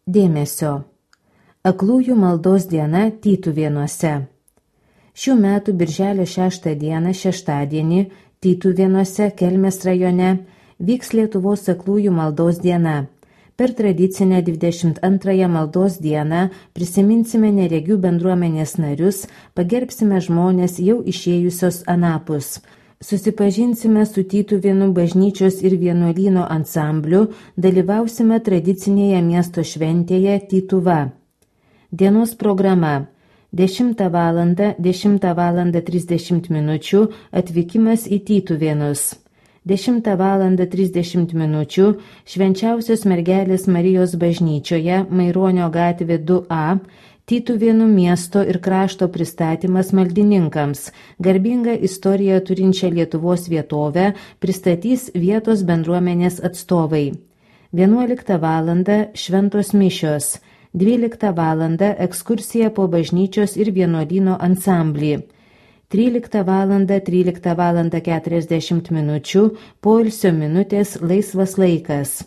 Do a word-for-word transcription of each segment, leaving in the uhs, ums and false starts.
Dėmesio. Aklųjų maldos diena Tytuvėnuose. Šių metų birželio šeštą dieną šeštadienį Tytuvėnuose Kelmės rajone vyks Lietuvos aklųjų maldos diena. Per tradicinę dvidešimt antrąją maldos dieną prisiminsime neregių bendruomenės narius, pagerbsime žmonės jau išėjusios anapus. Susipažinsime su Tytuvėnų bažnyčios ir vienuolyno ansambliu, dalyvausime tradicinėje miesto šventėje Tytuva. Dienos programa. dešimtą valandą, dešimtą valandą trisdešimt minučių atvykimas į Tytuvėnus. dešimtą valandą trisdešimt minučių Švenčiausios mergelės Marijos bažnyčioje Maironio gatvė du A Tytuvėnų miesto ir krašto pristatymas maldininkams. Garbingą istoriją turinčią Lietuvos vietovę pristatys vietos bendruomenės atstovai. vienuoliktą valandą šventos mišios. dvyliktą valandą ekskursija po bažnyčios ir vienuolyno ansamblį. tryliktą valandą, tryliktą valandą keturiasdešimt minučių poilsio minutės laisvas laikas.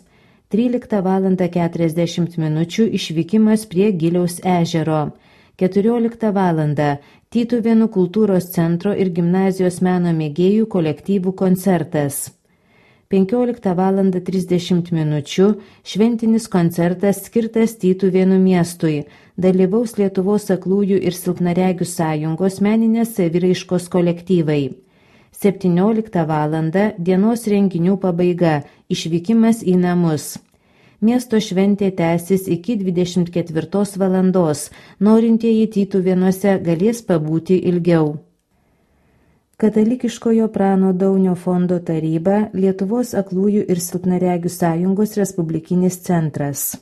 tryliktą valandą keturiasdešimt minučių išvykimas prie Giliaus ežero. keturioliktą valandą Tytuvėnų kultūros centro ir gimnazijos meno mėgėjų kolektyvų koncertas. penkioliktą valandą trisdešimt minučių šventinis koncertas skirtas Tytuvėnų miestui. Dalyvaus Lietuvos aklųjų ir silpnaregių sąjungos meninės saviraiškos kolektyvai. septynioliktą valandą dienos renginių pabaiga, išvykimas į namus. Miesto šventė tęsis iki dvidešimt ketvirtos valandos, norintieji Tytuvėnuose galės pabūti ilgiau. Katalikiškojo Prano Daunio fondo taryba, Lietuvos aklųjų ir silpnaregių sąjungos respublikinis centras.